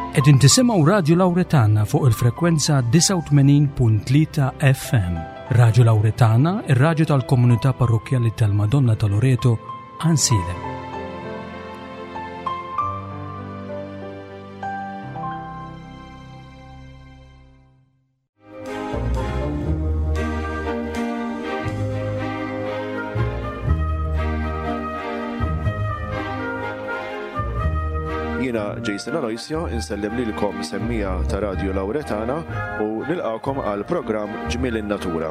Qegħdin tisimgħu Radju Lawretana fuq il-frekwenza 89.3 FM. Radju Lawretana, ir-radju tal-komunità parrokkjali tal-Madonna ta' Loreto, Għansielem. Jiena Jason Aloisio insellem lilkom semmija ta' Radio Lauretana u nilqakom għal programm Ġmiel in-Natura.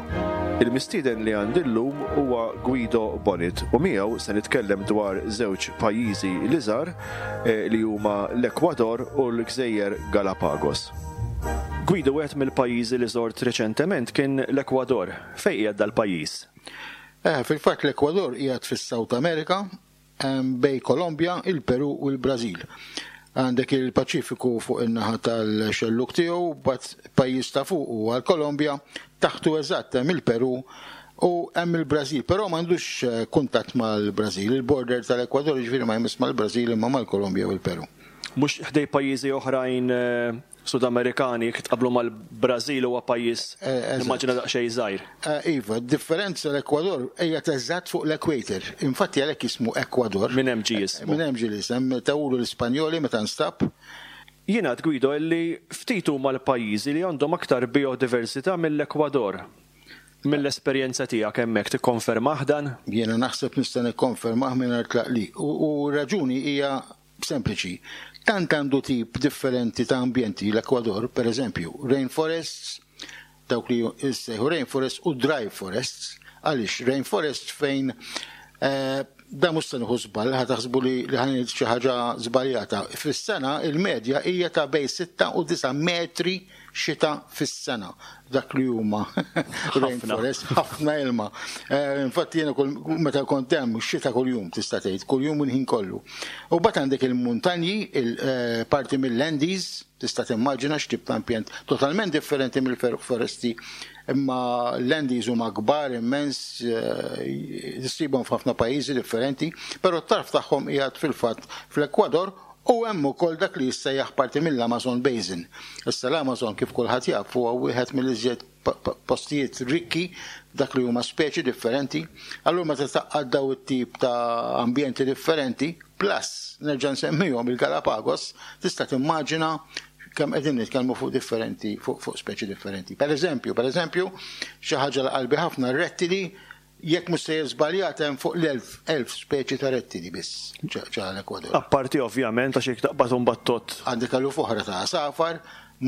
Il-mistieden li għandi llum huwa Guido Bonnet u miegħu se nitkellem dwar żewġ pajjiżi li żar eh, li huma l-Ekwador u l-Gżejjer Galapagos. Guido, wieħed mill-pajjiżi li żort reċentement kien l-Ekwador. Fejn qiegħed dal-pajjiż? Eh, fil-fatt l-Ekwador qiegħed fis-South America, bejn Kolombja, il-Peru u l-Brażil. Għandek il-Paċifiku fuq in-naħa tal-xellug tiegħu, bat pajjiż ta' fuq huwa l-Kolombja, taħtu eżatt hemm il-Peru u hemm il-Brażil, però m'għandux eh, kuntatt mal-Brażil. Il-border tal-Ekwador jiġifieri ma jmiss mal-Brażil imma mal-Kolombja u l-Peru. Mhux ħdej pajjiżi oħrajn eh, Sudamerikani, jekk tqabblu mal-Brażil huwa pajjiż eh, nimmaġina daqsxejn żgħir. Eh, iva, differenza l-Ekwador qiegħed eżatt fuq l-equator. Infatti għalhekk jismu Ekwador. Minn hemm ġie jismu. Minn hemm ġie l-isem, tawulu l-Ispanjoli meta nstab. Jingħad Guido illi ftit huma l-pajjiżi li għandhom aktar biodiversità mill-Ekwador. Mill-esperjenza tiegħek hemmhekk tikkonfermah dan? Jiena naħseb nista' nikkonfermah mingħajr tlaqliq. U r-raġuni hija sempliċi. Tant għandu tip differenti ta' ambjenti l-Ekwador, per eżempju, rainforests, dawk li jissejħu rainforests u dry forests. Għaliex rainforests fejn eh, da mhux se nieħu żball, ħa taħsbu li li ħa ngħid xi ħaġa żbaljata. Fis-sena il-medja hija ta' bejn 6 u 9 metri xita fis-sena dak li huma rainforest, ħafna ilma. Eh, infatti jiena meta kont hemm xita kuljum tista' tgħid, kuljum il-ħin kollu. U bat għandek il-muntanji, il-parti eh, mill-Andes, tista' timmaġina x'tip ta' ambjent totalment differenti mill-foresti imma l-Andes huma kbar immens eh, issibhom f'ħafna pajjiżi differenti, però t-tarf tagħhom qiegħed fil-fatt fl-Ekwador U hemm ukoll dak li jissejjaħ parti mill-Amazon Basin. Issa l-Amazon kif kulħadd jaf huwa wieħed mill-iżjed postijiet rikki f'dak li huma speċi differenti. Allura meta tgħaqqad daw it-tip ta' ambjenti differenti, plus nerġa' nsemmihom il-Galapagos, tista' timmaġina kemm qegħdin nitkellmu fuq differenti fuq, fuq speċi differenti. Per eżempju, per eżempju, xi ħaġa l qalbi ħafna rettili Jekk mhux sejjer żbaljat hemm fuq l-1000 1000 speċi ta' rettili biss ġa l-Ekwador. Apparti ovvjament għax jekk taqbad imbagħad tgħodd. Għandek eluf oħra ta' għasafar,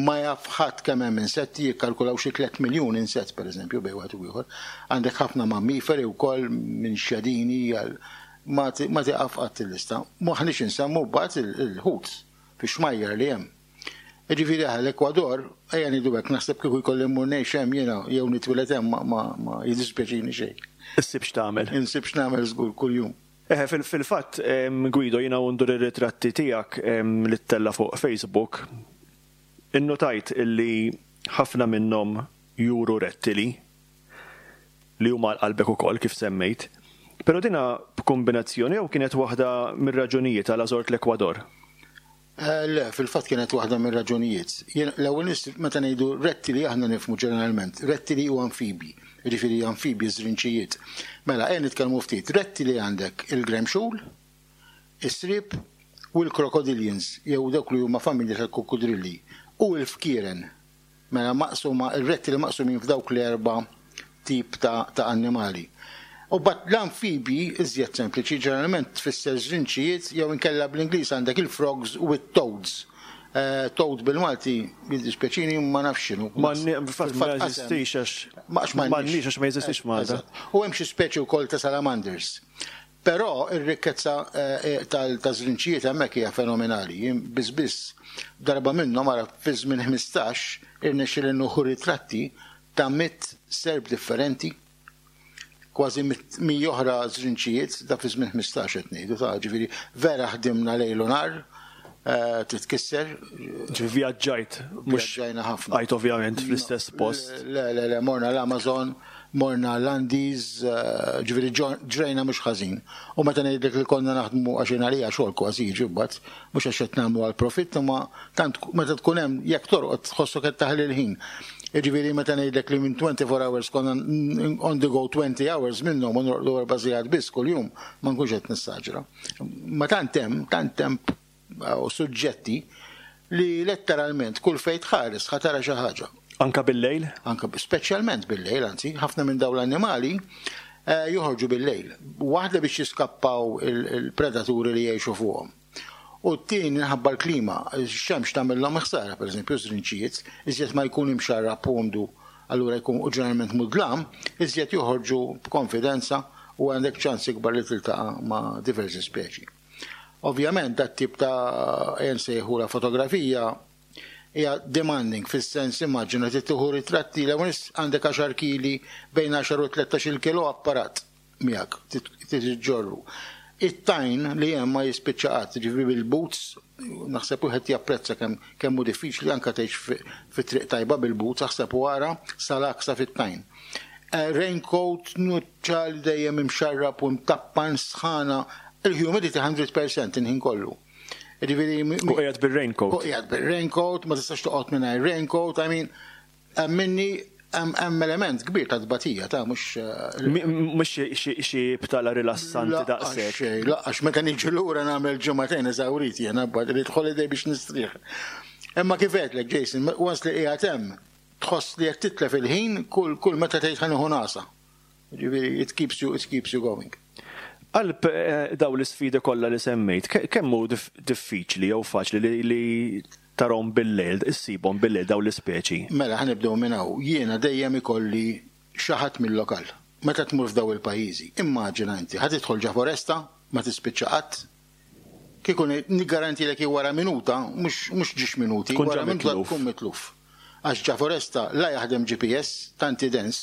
ma jaf ħadd kemm hemm insetti, jikkalkulaw xi tlett miljun insett pereżempju bejn wieħed u ieħor. Għandek ħafna mammiferi wkoll minn xjadini għal ma tieqaf qatt il-lista. M'aħniex insemmu mbagħad il-ħut fix-xmajjar li hemm. Jiġifieri aħ l-Ekwador, ejja ngħidu hekk, naħseb kieku jkolli mmur ngħix hemm jiena jew nitwieled hemm ma ma ma jiddispjaċini xejn. Issib x'tagħmel. Insib x'nagħmel żgur kuljum. Eħe, fil-fatt, Guido, jiena u ndur ir-ritratti tiegħek li ttella' fuq Facebook, innutajt illi ħafna minnhom juru rettili li huma għal qalbek ukoll kif semmejt. Però dina b'kumbinazzjoni jew kienet waħda mir-raġunijiet għala żort l-Ekwador? Le, fil-fatt kienet waħda mir-raġunijiet. Jien l-ewwel nies meta ngħidu rettili aħna nifhmu ġeneralment rettili u anfibji, jiġifieri anfibji żrinċijiet. Mela ejja nitkellmu ftit. Rettili għandek il-gremxul, is-sriep u l-crocodilians jew dawk li huma familja tal-kukkudrilli u l-fkieren. Mela maqsuma, ir-rettili maqsumin f'dawk l-erba' tip ta' ta' annimali. U mbagħad l-anfibji iżjed sempliċi, ġeneralment tfisser żrinċijiet jew inkella bl-Ingliż għandek il-frogs u t-toads. Toad bil-Malti, jiddispjaċini, ma nafx x'inhu. Fil-fatt ma jeżistix għax m'għandniex għax ma jeżistix Malta. U hemm xi speċi wkoll ta' salamanders. Però r-rikkezza taż-żrinċijiet hemmhekk hija fenomenali. Jien biss biss darba minnhom ara fi żmien 15 irnexxieli nieħu ritratti ta' mitt serp differenti, kważi 100 oħra żrinċijiet, da fi żmien 15 qed ngħidu ta' ġifieri vera ħdimna lejl u nhar titkisser. Ġifieri vjaġġajt, mhux Vjaġġajna ħafna. Bqajt ovvjament fl-istess post. Le, le, le, morna l-Amazon. Morna l-Andes, ġifieri ġrejna mhux ħażin. U meta ngħidlek li konna naħdmu għax jien għalija xogħol kważi jiġi mbagħad, mhux għax qed nagħmlu għall-profitt imma tant meta tkun hemm jekk torqod tħossok qed taħli l-ħin. Jiġifieri meta ngħidlek li minn 24 hours konna on the go 20 hours minnhom u norqdu erba' sigħat biss kuljum, ma nkunx qed nessaġra. Ma tant hemm, tant hemm u suġġetti li letteralment kull fejn tħares ħa tara xi ħaġa. Anka bil-lejl? Anka speċjalment bil-lejl, anzi, ħafna minn dawn l-annimali eh, joħorġu bil-lejl. Waħda biex jiskappaw il-predaturi li jgħixu fuqhom. U t-tieni minħabba l-klima, x-xemx tagħmilhom ħsara, pereżempju żrinċijiet, iżjed ma jkun imxarrab umdu, allura jkun u ġeneralment mudlam, iżjed joħorġu b'konfidenza u għandek ċans ikbar li tiltaqa' ma' diversi speċi. Ovvjament dat-tip ta' ejja nsejħulha fotografija hija demanding fis-sens immaġina trid tieħu ritratti l-ewwel għandek għaxar kili bejn għaxar u 13-il kilo apparat miegħek trid iġġorru. It-tajn li hemm ma jispiċċa qatt, ġifieri bil-boots naħseb wieħed japprezza kemm kemm hu diffiċli anke tgħix fi triq tajba bil-boots aħseb u ara sal-għaksa fit-tajn. Eh, raincoat, nuċċal dejjem imxarrab u mtappan sħana, il-humidity 100% il-ħin kollu. Ġifieri U qiegħed bir-raincoat. U qiegħed bir-raincoat, ma tistax toqgħod mingħajr raincoat, I mean, minni hemm element kbir ta' tbatija ta' mhux eh, mhux xi btala rilassanti daqshekk. Laqqax meta niġi lura nagħmel ġimagħtejn eżawrit jiena bad irid holiday biex nistrieħ. Imma kif għedlek Jason, once li qiegħed hemm tħoss li qed titlef il-ħin kull kull meta tgħid ħa nieħu nagħsa. Ġifieri it keeps you it keeps you going. Qalb eh, daw l-isfidi kollha li semmejt, kemm hu diffiċli jew faċli li tarhom bil-lejl, issibhom bil-lejl daw l-ispeċi? Mela ħa nibdew minn hawn. Jiena dejjem ikolli xi ħadd mill-lokal. Meta tmur f'daw il-pajjiżi, immaġina inti ħa tidħol ġa foresta, ma tispiċċa qatt, Kieku niggarantilek li wara minuta, mhux mhux ġiex minuti, Tkun wara ġa minuta mitluf. tkun mitluf. Għax ġa foresta la jaħdem GPS, tant hi dens,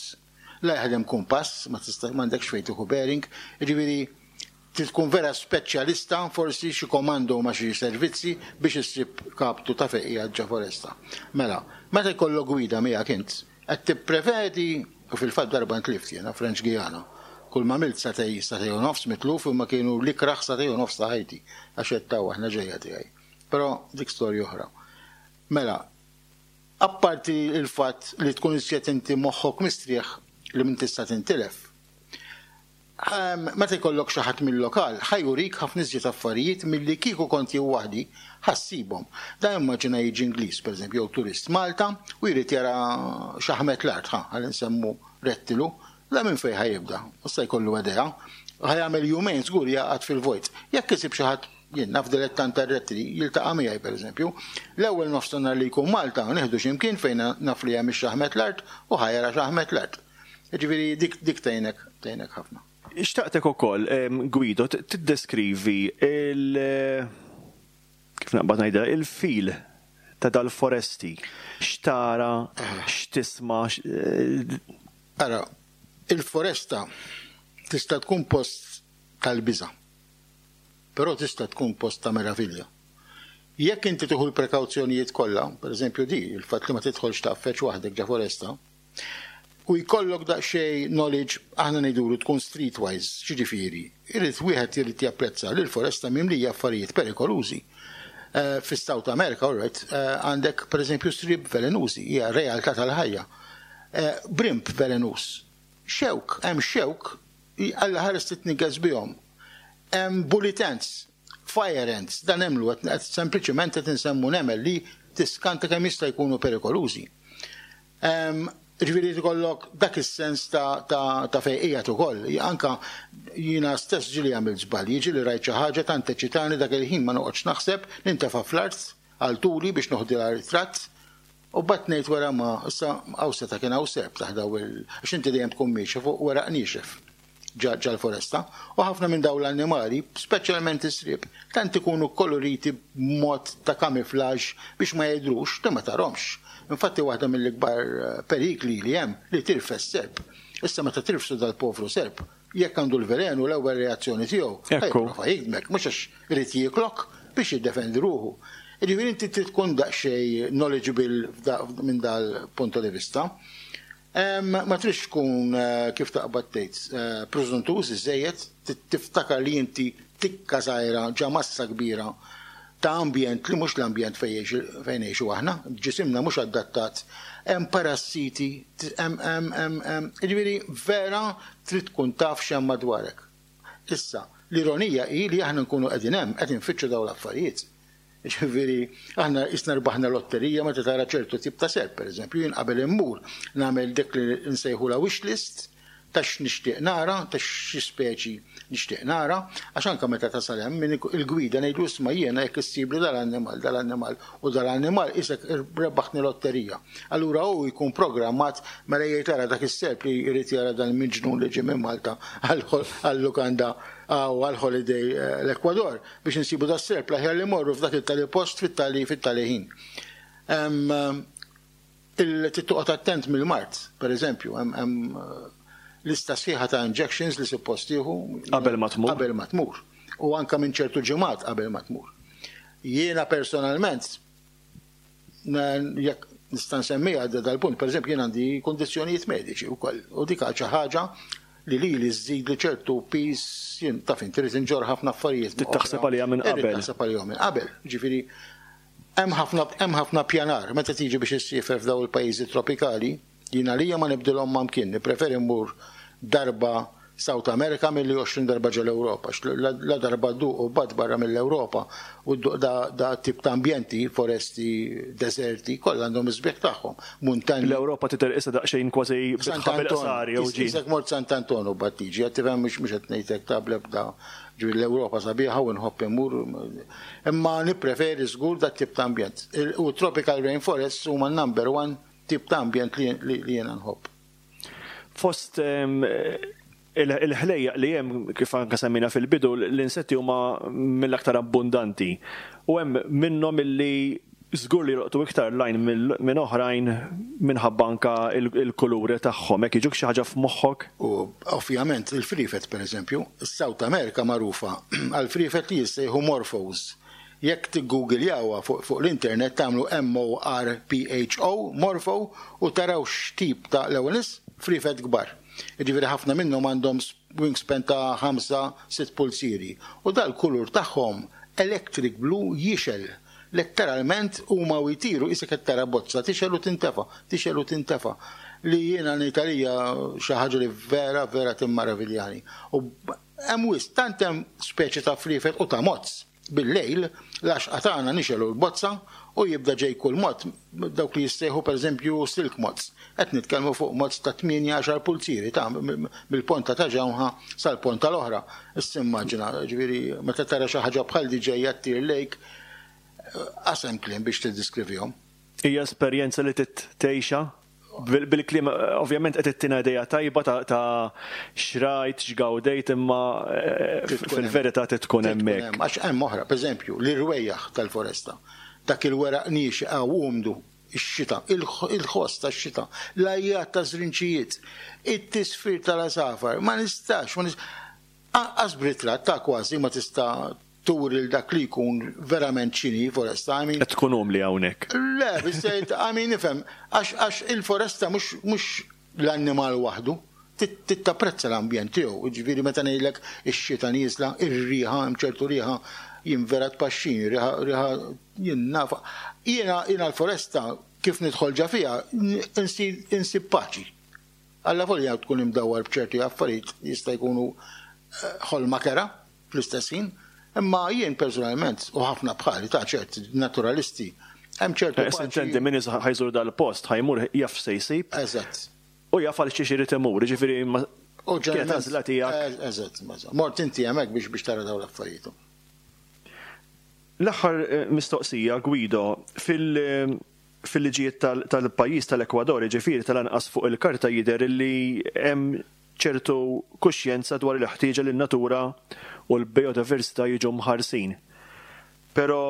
la jaħdem kumpass, ma tista' m'għandekx fejn tieħu bearing, jiġifieri trid tkun vera speċjalista, forsi xi komando ma' xi servizzi biex issib kaptu ta' fejn qiegħed ġa foresta. Mela, meta jkollok gwida miegħek int, Qed tipprevedi, u fil-fatt darba ntlift jiena, French Guiana. Kull m'għamilt sagħtej, sagħtej u nofs mitluf imma kienu l-ikrah sagħtej u nofs ta' ħajti, għax għedt hawn aħna ġejja tiegħi. Però dik storja oħra. Mela, apparti l-fatt li tkun iżjed inti moħħok mistrieħ li minn tista' tintilef, Meta jkollok xi ħadd mil-lokal, ħa jurik ħafna iżjed affarijiet milli kieku kont jien waħdi ħa ssibhom. Dan immaġina jiġi Ingliż, pereżempju, jew turist Malta u jrid jara xaħmet l-art, ħa, ħalli nsemmu rettilu, dan minn fejn ħa jibda? Issa jkollu idea. Ħa jagħmel jumejn żgur jagħqad fil-vojt. Jekk isib xi ħadd, jien naf dilettant tar-rettili, jiltaqa' miegħi pereżempju, l-ewwel nofsinhar li jkun Malta nieħdu xi mkien fejn naf li hemm ix-xaħmet l-art u ħa jara xaħmet l-art. Jiġifieri dik dik tgħinek tgħinek ħafna. Xtaqtek ukoll, Guido, tiddeskrivi il kif naqbad ngħidha, il-fil ta' dal-foresti. X'tara, x'tisma'. Ara, il-foresta tista' tkun post tal-biża', però tista' tkun post ta' meravilja. Jekk inti tieħu l-prekawzjonijiet kollha, pereżempju di, il-fatt li ma tidħolx tgħaffeġ waħdek ġa foresta, u jkollok daqsxejn knowledge, aħna ngħidulu tkun streetwise, x'jiġifieri? Irid wieħed irid japprezza li l-foresta mimlija affarijiet perikolużi. Eh, Fis-South America, all right, eh, għandek pereżempju sriep velenużi, hija realtà tal-ħajja. Eh, brimb velenuż. Xewk, hemm xewk, Alla ħares titniggeż bihom. Hemm bullet ants, fire ants, dan nemmlu qed sempliċement qed insemmu nemel li tiskanta kemm jista' jkunu perikolużi. Ġifieri ikollok dak is-sens ta' ta' ta' fejn qiegħed ukoll. Anka jiena stess ġieli għamilt żbalji, ġieli rajt xi ħaġa tant eċitani dak il-ħin ma noqgħodx naħseb, nintefa' fl-art għal tuli biex noħdilha ritratt u mbagħad ngħid wara ma issa hawn seta' kien hawn serp taħt daw il għax inti dejjem tkun miexi fuq weraq niexef. ġal-foresta, u ħafna minn dawn l-annimali, speċjalment is-sriep, tant ikunu kkoloriti b'mod ta' kamiflaġġ biex ma jidhrux li ma tarhomx. Infatti waħda mill-ikbar perikli li hemm li tirfes serp. Issa meta tirfsu dal-povru serp, jekk għandu l-velenu l-ewwel reazzjoni tiegħu ħa jipprova jigdmek, mhux għax irid jieklok, biex jiddefendi ruħu. Jiġifieri inti trid tkun daqsxejn knowledgeable minn dal-punto di vista. Ma tridx tkun kif taqbad tgħid prużuntuż iżżejjed, tiftakar li inti tikka żgħira ġa massa kbira ta' ambjent li mhux l-ambjent fejn ngħixu aħna, ġisimna mhux adattat, hemm parassiti, hemm hemm hemm hemm, jiġifieri vera trid tkun taf x'hemm madwarek. Issa, l-ironija hi li aħna nkunu qegħdin hemm qed infittxu dawn l-affarijiet. Jiġifieri, aħna qisna rbaħna lotterija meta tara ċertu tip ta' serp, pereżempju, jien qabel immur nagħmel dik li nsejħulha wish list ta' x'nixtieq nara, ta' xi speċi nixtieq nara, għax anke meta tasal hemm min il-gwida ngħidlu isma' jiena jekk issibli dal-annimal, dal-annimal u dal-annimal qisek rebbaħtni lotterija. Allura hu jkun programmat mela jgħid ara dak is-serp li jrid jara dal-miġnun li ġie minn Malta għal-lukanda għal-holiday l-Ekwador. Biex insibu das-serp l-aħjar li mmorru f'dak it-tali post fit-tali fit-tali ħin. Il trid toqgħod attent mill-mard, per eżempju, hemm lista sħiħa ta' injections li suppost tieħu qabel ma tmur. Qabel ma tmur. U anke minn ċertu ġimgħat qabel ma tmur. Jiena personalment jekk nista' nsemmiha dal-punt, pereżempju jien għandi kundizzjonijiet mediċi wkoll u dik xi ħaġa li lili żżidli ċertu piż, jien taf inti rrid inġorr ħafna affarijiet. Trid taħseb għaliha minn qabel. Irrid taħseb għalihom minn qabel. Ġifieri hemm ħafna hemm ħafna pjanar meta tiġi biex issiefer f'dawn il-pajjiżi tropikali, jien għalija ma nibdilhom ma' mkien, nippreferi mmur darba South America milli 20 darba ġol-Ewropa, għax la darba dduq u bgħadt barra mill-Ewropa u dduq da tip ta' ambjenti, foresti, deżerti, kollha għandhom is-sbieħ tagħhom, muntanji. L-Ewropa tidher qisha daqsxejn kważi bitħa bil-qsar jew ġie. Qisek mort Sant'Anton u bgħadt tiġi, qed tifhem mhux qed ngħidlek ta' bl-ebda, ġifieri l-Ewropa sabiħa u nħobb immur, imma nippreferi żgur dat-tip ta' ambjent. U tropical rainforests huma n-number one tip ta' ambjent li jiena nħobb. Fost il-ħlejjaq li hemm, kif anke semmejna fil-bidu, l-insetti huma mill-aktar abbundanti. U hemm minnhom illi żgur li jolqtu iktar l-għajn minn oħrajn minħabba anke l-kuluri tagħhom. Hekk jiġuk xi ħaġa f'moħħok? U ovvjament il-friefet pereżempju, is-South America magħrufa għall-friefet li jissejħu morphos. Jekk tiggoogiljawha fuq l-internet tagħmlu MORPHO, morpho, u taraw x'tip ta' l-ewwel nies, friefet kbar. Jiġifieri ħafna minnhom għandhom wingspan ta' ħamsa, sitt pulzieri. U dal-kulur tagħhom electric blue jixgħel. Letteralment huma u jtiru qisek qed tara bozza tixgħel u tintefa', tixgħel u tintefa'. Li jiena ngħid għalija xi ħaġa li vera, vera timmaraviljani. U hemm wisq, tant hemm speċi ta' friefet u ta' mozz. Bil-lejl, l-għaxqa tagħna nixegħlu l-bozza u jibda ġej kull mod, dawk li jissejħu pereżempju silk moths. Qed nitkellmu fuq moths ta' tmienja għaxar pulzieri ta' mill-ponta ta' ġewħa sal-ponta l-oħra. Issa immaġina, ġifieri meta tara xi ħaġa bħal di ġejja ttir lejk, qas hemm kliem biex tiddiskrivihom. Hija esperjenza li trid tgħixha? Bil-kliem, ovvjament qed ittina idea tajba ta' x'rajt, x'gawdejt, imma fil-verità trid tkun hemmhekk. Għax hemm oħra, pereżempju, l-irwejjaħ tal-foresta, dak il-weraq niexef u umdu, ix-xita, il-ħoss tax-xita, l-għajjat taż-żrinċijiet, it-tisfir tal-għasafar, ma nistax, ma nistax, anqas b'ritratt ta' kważi ma tista' turi 'l dak li jkun verament x'inhi foresta, I mean. Qed tkun umli hawnhekk. Le, biżżejjed, I mean nifhem, għax għax il-foresta mhux mhux l-annimal waħdu, trid tapprezza l-ambjent tiegħu, jiġifieri meta ngħidlek ix-xita nieżla, ir-riħa, hemm ċertu riħa jien vera tpaxxini, riħa riħa jien nafha. Jiena jiena l-foresta kif nidħol ġa fiha insir insib paċi. Allavolja tkun imdawwar b'ċerti affarijiet li jista' jkunu ħolma kerha, fl-istess ħin, imma jien personalment, u ħafna bħali ta' ċert naturalisti, hemm ċertu paċi. Sintendi, min ħa jżur dal-post, ħa jmur jaf x'se jsib. Eżatt. U jaf għal xiex irid imur, jiġifieri ma. U Kienet għażla tiegħek. Eżatt, eżatt. Mort inti hemmhekk biex biex tara dawn l-affarijiet. L-aħħar mistoqsija, Guido, fil fil-liġijiet tal-pajjiż tal-Ekwador, jiġifieri tal-anqas fuq il-karta jidher li hemm ċertu kuxjenza dwar il-ħtieġa li n-natura u l-bijodiversità jiġu mħarsin. Però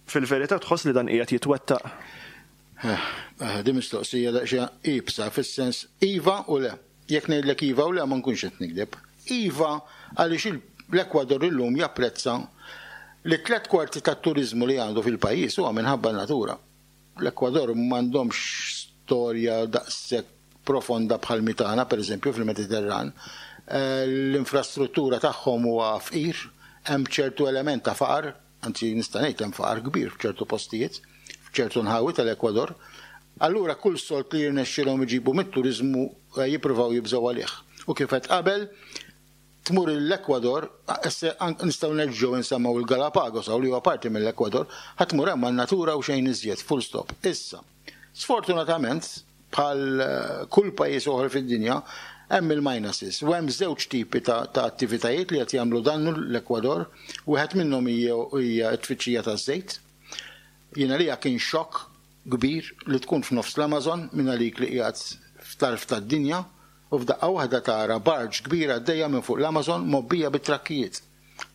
fil-verità tħoss li dan qiegħed jitwettaq? Din mistoqsija daqsxejn iebsa fis-sens iva u le. Jekk ngħidlek iva u le ma nkunx qed nigdeb. Iva għaliex l-Ekwador illum japprezza li tlett kwarti tat-turiżmu li għandu fil-pajjiż huwa minħabba n-natura. L-Ekwador m'għandhomx storja daqshekk. profonda bħal mitana, per eżempju, fil-Mediterran. L-infrastruttura tagħhom huwa fqir, hemm ċertu element ta' faqar, anzi nista' ngħid hemm faqar kbir f'ċertu postijiet, f'ċertu nħawi tal-Ekwador. Allura kull sold li jirnexxilhom iġibu mit-turiżmu jippruvaw jibżgħu għalih. U kif għedt qabel, tmur l-Ekwador, nistgħu nerġgħu nsemmaw il-Galapagos hawn li huwa parti mill-Ekwador, ħa tmur hemm għan-natura u xejn iżjed, full stop. Issa, sfortunatament, bħal kull pajjiż oħra fid-dinja, hemm il-minuses u hemm żewġ tipi ta' attivitajiet li qed jagħmlu dannu l-Ekwador. Wieħed minnhom hija t-tfittxija taż-żejt. Jiena lija kien xokk kbir li tkun f'nofs l-Amazon minn għalik li qiegħed f'tarf tad-dinja u f'daqqa waħda tara barge kbira għaddejja minn fuq l-Amazon mgħobbija bit-trakkijiet.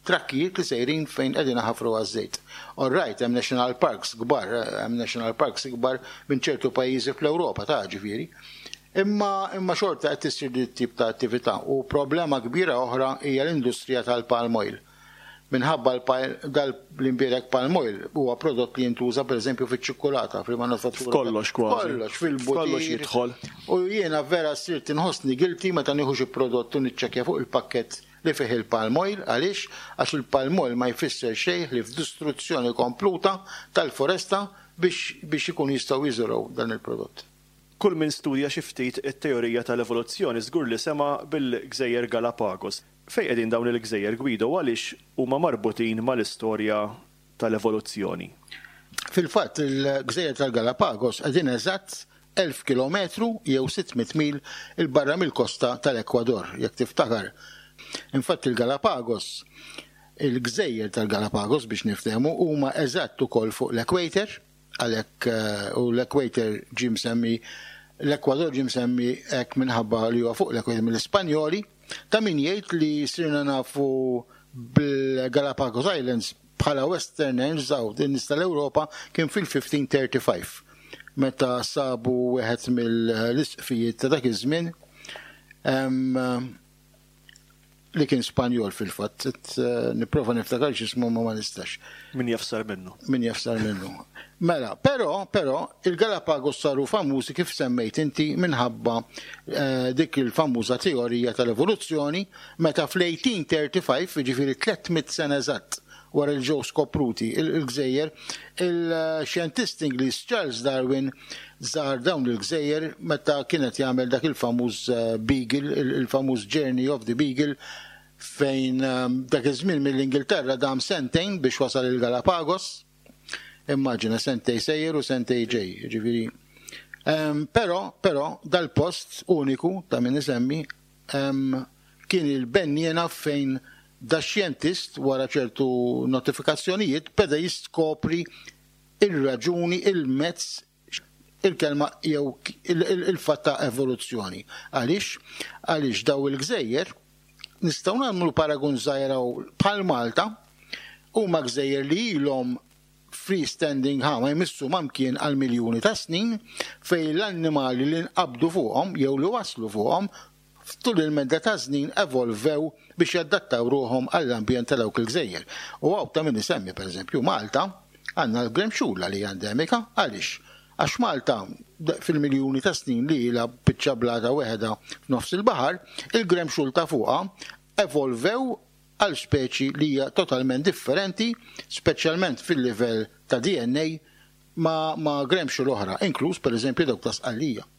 Trakkijiet li sejrin fejn qegħdin iħaffru għaż-żejt. All right, hemm national parks kbar, hemm national parks ikbar minn ċertu pajjiżi fl-Ewropa ta' ġifieri. Imma imma xorta qed issir din it-tip ta' attività u problema kbira oħra hija l-industrija tal-palm oil. Minħabba dal l-imbierek palm oil huwa prodott li jintuża pereżempju fiċ-ċikkulata, fil-manufattura. F'kollox kważi. Kollox, fil-butir. F'kollox jidħol. U jiena vera sirt inħossni guilty meta nieħu xi prodott u niċċekkja fuq il-pakkett li fih il-palm oil. Għaliex? Għax il-palm oil ma jfisser xejn ħlief distruzzjoni kompluta tal-foresta biex biex ikunu jistgħu jiżirgħu dan il-prodott. Kull min studja xi ftit it-teorija tal-evoluzzjoni żgur li sema' bil-Gżejjer Galapagos. Fejn qegħdin dawn il-gżejjer, Guido, u għaliex huma marbutin mal-istorja tal-evoluzzjoni? Fil-fatt, il-Gżejjer tal-Galapagos qegħdin eżatt 1,000 kilometru jew 600 mil 'il barra mill-kosta tal-Ekwador, jekk tiftakar. Infatti il-Galapagos, il-Gżejjer tal-Galapagos biex niftehmu, huma eżatt ukoll fuq l-equator, Għalhekk, u l-equator ġie msemmi, l-Ekwador ġie msemmi hekk minħabba li huwa fuq l-equator mill-Ispanjoli. Ta' min jgħid li sirna nafu bil-Galapagos Islands bħala Westerners hawn in-nies tal-Ewropa kien fil-1535 meta sabu wieħed mill-isqfijiet ta' dak iż-żmien li kien Spanjol fil-fatt, eh, nipprova niftakar x'ismu ma ma nistax. Min jaf sar minnu. Min jaf sar minnu. Mela, però, però, il-Galapagos saru famużi kif semmejt inti minħabba eh, dik il-famuża teorija tal-evoluzzjoni meta fl-1835, jiġifieri 300 sena eżatt wara li ġew skopruti il-gżejjer, il-xjentist Ingliż Charles Darwin żar dawn il-gżejjer meta kien qed jagħmel dak il-famuż eh, Beagle, il-famuż Journey of the Beagle fejn eh, dak iż-żmien mill-Ingilterra dam sentejn biex wasal il-Galapagos. Immaġina sentej sejjer u sentej ġej, ġifieri. Ehm, però, però, dal-post uniku ta' min isemmi ehm, kien il-benniena fejn dax-xjentist wara ċertu notifikazzjonijiet beda jiskopri ir-raġuni, il-mezz, il-kelma jew il-fatt ta' evoluzzjoni. Għaliex? Għaliex daw il-gżejjer nistgħu nagħmlu paragun żgħir bħal Malta huma gżejjer li ilhom free standing ħa ma jmissu ma mkien għal miljuni ta' snin fejn l-annimali li nqabdu fuqhom jew li waslu fuqhom Tul il-medda taż-żnin evolvew biex jadattaw ruħhom għall-ambjent ta' dawk il-gżejjer. U hawn ta' min isemmi, pereżempju, Malta, għandna l-gremxula li hija endemika. Għaliex? Għax Malta, fil-miljuni ta' snin li ilha biċċa blata weħedha f'nofs il-baħar, il-gremxul ta' fuqha evolvew għal speċi li hija totalment differenti, speċjalment fil-livell ta' DNA, ma' ma' gremxul oħra, inkluż pereżempju dawk ta' Sqallija.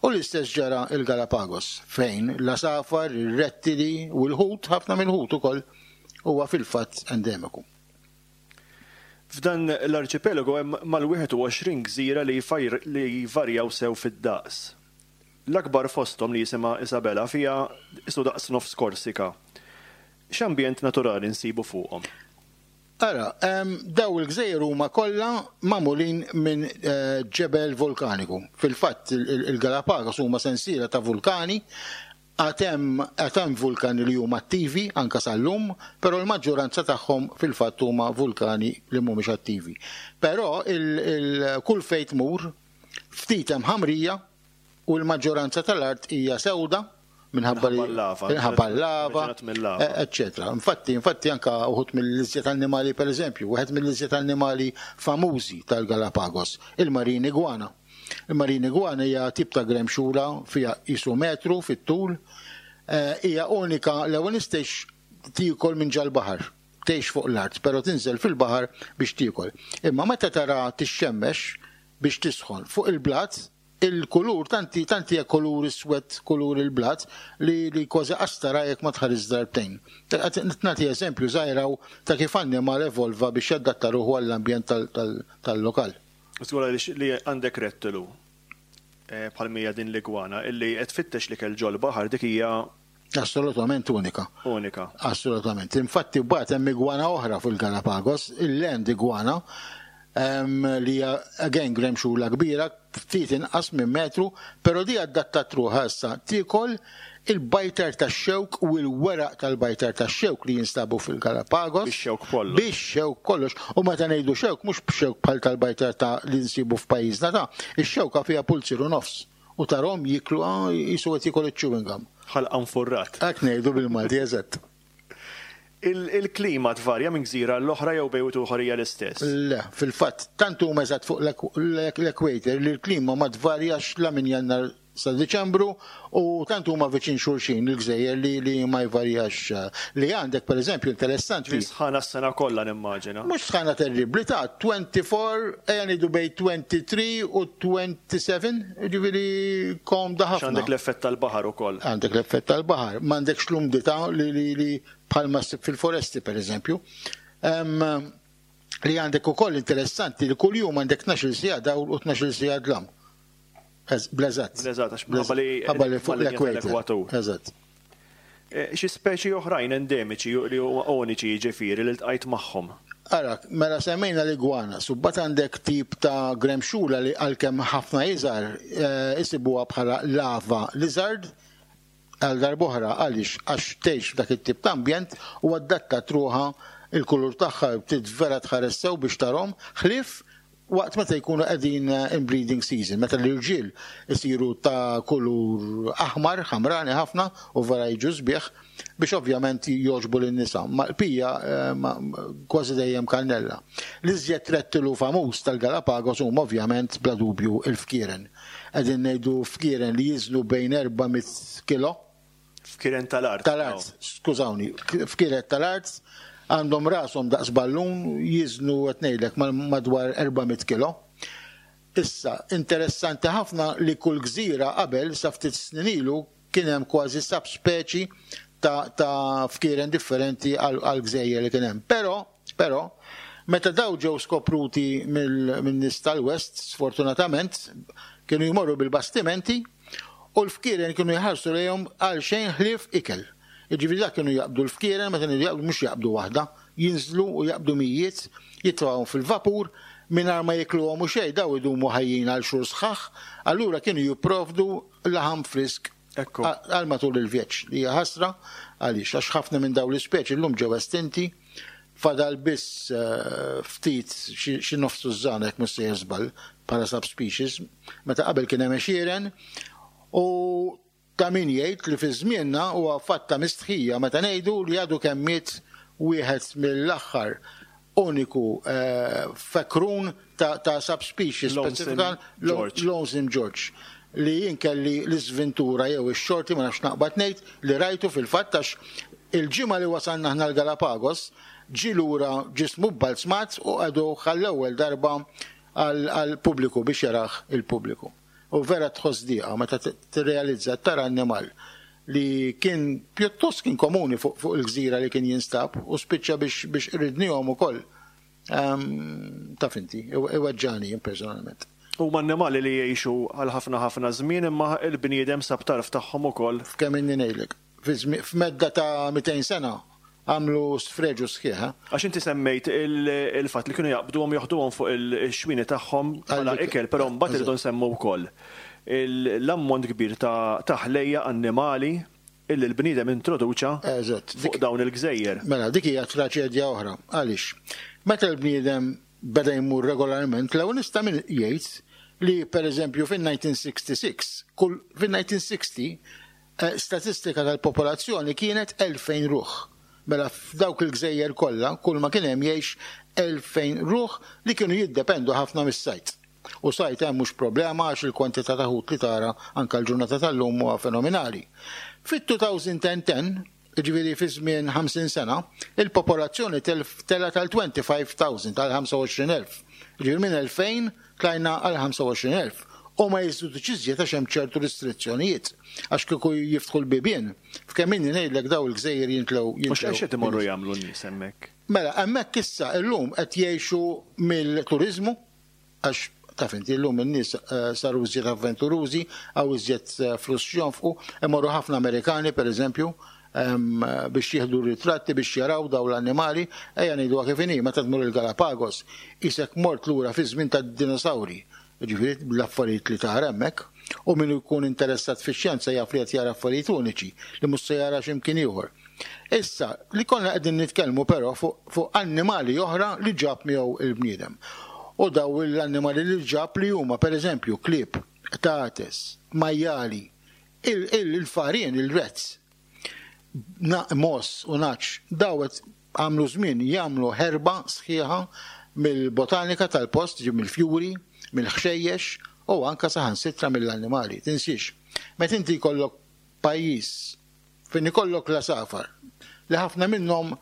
U l-istess ġara il-Galapagos, fejn l-għasafar, ir-rettili u l-ħut, ħafna mill-ħut ukoll, huwa fil-fatt endemiku. F'dan l-arċipelago hemm mal-21 gżira li jvarjaw sew fid-daqs. L-akbar fosthom li jisimha Isabela fiha qisu daqs nofs Korsika. X'ambjent naturali nsibu fuqhom? Ara, daw il-gżejjer huma kollha magħmulin minn ġebel vulkaniku. Fil-fatt il-Galapagos huma sensiela ta' vulkani, għad hemm għad hemm vulkani li huma attivi anke sal-lum, però l-maġġoranza tagħhom fil-fatt huma vulkani li mhumiex attivi. Però kull fejn tmur ftit hemm ħamrija u l-maġġoranza tal-art hija sewda minħabba li minħabba l-lava, eċċetera. Infatti, infatti anka uħud mill-iżjed annimali pereżempju, wieħed mill-iżjed annimali famużi tal-Galapagos, il-marin iguana. Il-marine iguana hija tip ta' gremxula fiha qisu metru fit-tul. Hija unika l-ewwel nies tgħix tiekol minn ġal-baħar. Tgħix fuq l-art, però tinżel fil-baħar biex tiekol. Imma meta tara tixxemmex biex tisħon fuq il-blat, il-kulur tant tant hija kulur iswed kulur il-blat li li kważi qas tara jekk ma tħares darbtejn. Qed nagħti eżempju żgħir hawn ta' kif annimal evolva biex jadatta ruħu għall-ambjent tal-lokal. Żgur għaliex li għandek rettilu bħal mija din l-igwana illi qed tfittex l-ikel ġol-baħar dik hija Assolutament unika. Unika. Assolutament. Infatti mbagħad hemm igwana oħra fil-Galapagos, il-land igwana, li hija again gremxula kbira, ftit inqas minn metru, però di adattat ruħha issa tiekol il-bajtar tax-xewk u l-weraq tal-bajtar tax-xewk li jinstabu fil-Galapagos. Bix-xewk kollox. Bix-xewk kollox. U meta ngħidu xewk mhux b'xewk bħal tal-bajtar ta' li nsibu f'pajjiżna ta' ix-xewka fiha pulzier u nofs. U tarhom jiklu qisu qed jiekol iċ-chewing gum. Ħalqa nfurrat. Hekk ngħidu bil-Malti, eżatt. Il-klima tvarja minn gżira għall-oħra jew bejn wieħed u ieħor hija l-istess? Le, fil-fatt, tant huma eżatt fuq l-equator li l-klima ma tvarjax la minn Jannar sa Diċembru u tant huma viċin xulxin il-gżejjer li li ma jvarjax. Li għandek pereżempju interessanti. Ġifieri sħana s-sena kollha nimmaġina. Mhux sħana terribbli ta' 24, ejja ngħidu bejn 23 u 27, jiġifieri komda ħafna. Għax għandek l-effett tal-baħar ukoll. Għandek l-effett tal-baħar, m'għandekx l-umdità li li li bħalma ssib fil-foresti pereżempju. Li għandek ukoll interessanti li kuljum għandek 12-il siegħa dawl u 12-il siegħa dlam. Bl-eżatt. Bl-eżatt, għax minħabba li Ħabba li fuq l-ekwatur. Eżatt. Eh, xi speċi oħrajn endemiċi li huma uniċi jiġifieri li ltqajt magħhom? Ara, mela semmejna l-igwana, subbat għandek tip ta' gremxula li għalkemm ħafna iżgħar eh, isibuha bħala lava lizard, għal darb'oħra għaliex għax tgħix f'dak it-tip ta' ambjent u adattat ruħha il-kulur tagħha trid vera tħares sew biex tarhom, ħlief waqt meta jkunu qegħdin in breeding season, meta l-irġiel isiru ta' kulur aħmar, ħamrani ħafna u vera jiġu sbieħ biex ovvjament jogħġbu lin-nisa. Ma l-pija kważi dejjem kannella. L-iżjed rettilu famuż tal-Galapagos huma ovvjament bla dubju il-fkieren. Qegħdin ngħidu fkieren li jiżnu bejn 400 kilo. Fkieren tal-art. Tal-art, skużawni, fkieren tal-art għandhom rashom daqs ballun jiżnu qed ngħidlek madwar 400 kilo. Issa, interessanti ħafna li kull gżira qabel sa ftit snin ilu kien hemm kważi subspeċi ta', ta fkieren differenti għal gżejjer li kien hemm. Però, però, meta daw ġew skopruti min-nies tal-West, sfortunatament, kienu jmorru bil-bastimenti u l-fkieren kienu jħarsu lejhom għal xejn ħlief ikel. Jiġifieri dak kienu jaqbdu l-fkieren, meta ngħidu jaqbdu mhux jaqbdu waħda, jinżlu u jaqbdu mijiet, jitfgħuhom fil-vapur, mingħajr ma jikluhom u xejn, daw idumu ħajjin għal xhur sħaħ, allura kienu jipprovdu laħam frisk għal matul il-vjeġġ, li hija ħasra għaliex għax ħafna minn dawn l-ispeċi llum ġew estinti, fadal biss ftit xi nofs tużżana jekk mhux sejjer żball bħala subspecies, meta qabel kien hemm għexieren u ta' min jgħid li fi żmienna huwa fatt ta' mistħija meta ngħidu li għadu kemm miet wieħed mill-aħħar uniku fekrun ta' subspecies speċifika Lonesome George li jien kelli l-iżventura jew ix-xorti ma nafx naqbad ngħid li rajtu fil-fatt għax il-ġimgħa li wasalna aħna l-Galapagos ġie lura ġismu bbalzmat u qegħduh għall-ewwel darba għall-pubbliku biex jarah il-pubbliku. U vera tħoss dieqa meta tirrealizza tara annimal li kien pjuttost kien komuni fuq fuq il-gżira li kien jinstab u spiċċa biex biex qridnihom ukoll. Ehm, taf inti, iweġġani jien personalment. Huma annimali li jgħixu għal ħafna ħafna żmien imma l-bniedem sab tarf tagħhom ukoll. F'kemm inni ngħidlek. F'medda ta' 200 sena għamlu sfreġu sħiħ. Eh? Għax inti semmejt il-fatt li kienu jaqbduhom joħduhom fuq il-xwini tagħhom bħala ikel, però mbagħad irridu nsemmu wkoll l-ammont kbir ta' ħlejja annimali illi l-bniedem introduċa fuq dawn il-gżejjer. Mela, dik hija traċedja oħra. Għaliex? Meta l-bniedem beda jmur regolarment, l-ewwel nista' min jgħid li pereżempju fin-1966, kull fin-1960 Statistika tal-popolazzjoni kienet 2,000 ruħ. Mela f'dawk il-gżejjer kollha, kull ma kien hemm jgħix 2,000 ruħ li kienu jiddependu ħafna mis-sajd. U sajd hemm mhux problema għax il-kwantità ta' ħut li tara anke l-ġurnata tal-lum huwa fenomenali. Fit-2010, jiġifieri fi żmien 50 sena, il-popolazzjoni telgħet għal 25,000, għal 25,000. Jiġifieri minn 2,000 tlajna għal 25,000. U ma jiżdidux iżjed għax hemm ċertu restrizzjonijiet. Għax kieku jiftħu l-bibien, f'kemm inni ngħidlek daw il-gżejjer jintlew. U x'qed imorru jagħmlu n-nies hemmhekk? Mela, hemmhekk issa illum qed jgħixu mill-turiżmu, għax taf inti llum in-nies saru iżjed avventurużi, hawn iżjed flus x'jonfqu, imorru ħafna Amerikani pereżempju biex jieħdu ritratti biex jaraw dawn l-annimali, ejja ngħiduha kif inhi, meta tmur il-Galapagos qisek mort lura fiż-żmien tad-dinosawri, jiġifieri l-affarijiet li tara hemmhekk, u min ikun interessat fix-xjenza jaf li qed jara affarijiet uniċi li mhux se jara xi mkien ieħor. Issa, li konna qegħdin nitkellmu però fuq fuq annimali oħra li ġab miegħu il-bniedem. U daw l-annimali li ġab li huma pereżempju klieb, qtates, majjali, il-farien, il-rats, mogħoż u nagħaġ, daw qed għamlu żmien jagħmlu ħerba sħiħa mill-botanika tal-post, jiġifieri mill-fjuri, mill-ħxejjex u anke saħansitra mill-annimali. Tinsiex, meta inti jkollok pajjiż Fejn ikollok l-għasafar, li ħafna minnhom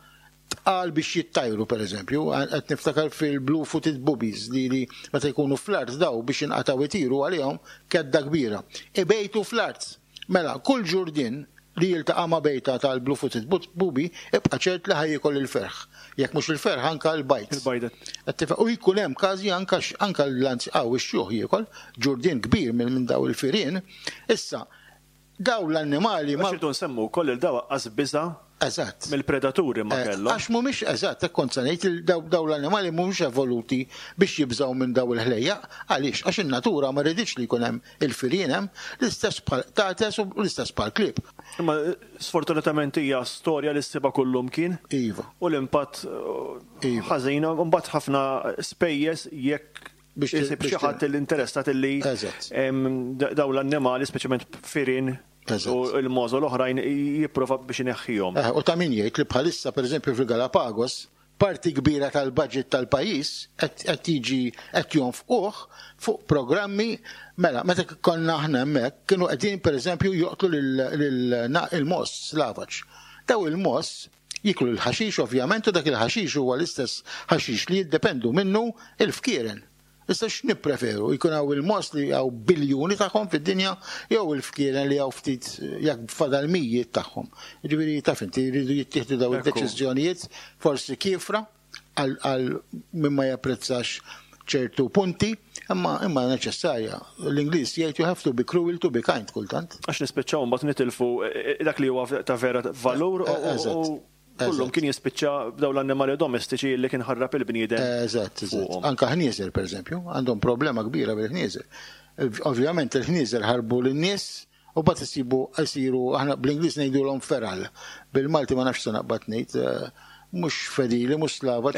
tqal biex jittajru pereżempju, qed niftakar fil-blue footed boobies li li meta jkunu fl-art daw biex jinqatgħu jtiru għalihom kedda kbira. Ibejtu fl-art. Mela, kull ġurdien li jiltaqa' ma' bejta tal-blue footed booby ibqa' ċert li ħa jiekol il-ferħ. Jekk mhux il-ferħ anka l-bajd. Il-bajda. Qed tifhem? U jkun hemm każi anka anka l-anzjan ix-xjuħ jiekol ġurdien kbir minn daw il-firien. Issa, Dawn l-annimali ma. Għax irridu nsemmu wkoll li dawn aqqas biża' mill-predaturi ma kellhom. Għax mhumiex, eżatt, hekk kont se ngħid, dawn l-annimali mhumiex evoluti biex jibżgħu minn dawn il-ħlejjaq. Għaliex? Għax in-natura ma riditx li jkun hemm il-firien hemm, l-istess bħall-qtates u l-istess bħall-klieb. Imma sfortunatament hija storja li ssibha kullumkien. Iva. U l-impatt ħażin, u mbagħad ħafna spejjeż jekk biex isib xi ħadd li interessat li dawn l-annimali, speċjalment firien u l-mogħoż u l-oħrajn jipprova biex ineħħihom. U ta' min jgħid li bħalissa pereżempju fil-Galapagos parti kbira tal-budget tal-pajjiż qed jiġi qed jonfquh fuq programmi mela meta konna aħna hemmhekk kienu qegħdin pereżempju joqtlu lil il-mogħoż slavaġ. Daw il-mogħoż Jieklu l-ħaxix ovvjament u dak il-ħaxix huwa l-istess ħaxix li jiddependu minnu l-fkieren. Issa x'nippreferu, jkun hawn il-mogħoż li hawn biljuni tagħhom fid-dinja jew il-fkieren li hawn ftit jekk fadal mijiet tagħhom. Jiġifieri taf inti jridu jittieħdu dawn id-deċiżjonijiet forsi kiefra għal min ma japprezzax ċertu punti, imma imma neċessarja. L-Ingliż jgħid you have to be cruel to be kind kultant. Għax nispiċċaw mbagħad nitilfu dak li huwa ta' vera valur u kullum kien jispiċċa b'dawn l-annimali domestiċi li kien ħarrab il-bniedem. Eżatt, eżatt. Anka ħnieżer pereżempju, għandhom problema kbira bil-ħnieżer. Ovvjament il-ħnieżer ħarbu lin-nies U mbagħad isibu jsiru aħna bl-Ingliż ngħidulhom feral. Bil-Malti ma nafx se naqbad ngħid mhux fedili, mhux slavaġ.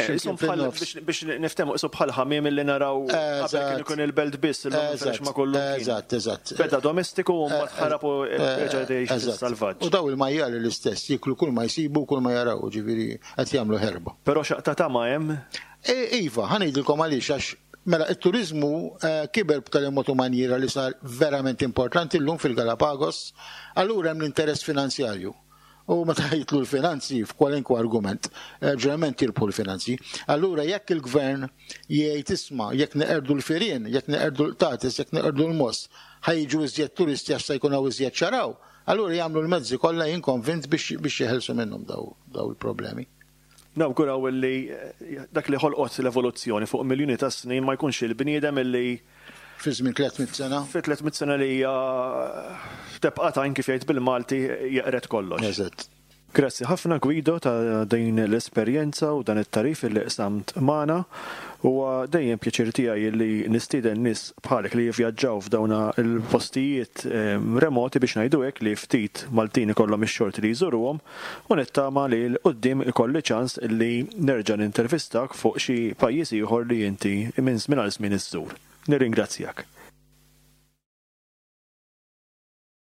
Biex niftehmu qisu bħal ħamiem li naraw qabel kien ikun il-belt biss illum inferex ma' kullu. Eżatt, eżatt. Beda domestiku u mbagħad ħarab u reġa' jgħix fis-salvaġġ. U daw il-majjali l-istess jieklu kull ma jsibu u kull ma jaraw, ġifieri qed jagħmlu ħerba. Però xaqta tama hemm? Iva, ħa ngħidilkom għaliex għax Mela, it-turiżmu kiber b'tali mod u manjiera li sar verament importanti llum fil-Galapagos, allura hemm l-interess finanzjarju. U meta jidħlu l-finanzi f'kwalinkwa argument, ġeneralment jirbħu l-finanzi. Allura jekk il-gvern jgħid isma' jekk neqerdu l-firien, jekk neqerdu l-qtates, jekk neqerdu l-mogħoż, ħa jiġu iżjed turisti għax se jkun hawn iżjed xaraw, allura jagħmlu l-mezzi kollha jien konvint biex jeħilsu minnhom dawn il-problemi. Nawguraw illi dak li ħolqot l-evoluzzjoni fuq miljuni ta' snin ma jkunx il-bniedem illi Fi żmien 300 sena. Fi 300 sena li hija tebqa' tajn kif jgħid bil-Malti jeqred kollox. Eżatt. Grazzi ħafna Guido ta' din l-esperjenza u dan it-tagħrif illi qsamt magħna. Huwa dejjem pjaċir tiegħi illi nistieden nies bħalek li jivvjaġġaw f'dawn il-postijiet remoti biex ngħidu hekk li ftit Maltin ikollhom ix-xorti li jżuruhom. U nittama li 'l quddiem ikolli ċans li nerġa' nintervistak fuq xi pajjiż ieħor li inti minn żmien għal żmien iżżur. Nirringrazzjak.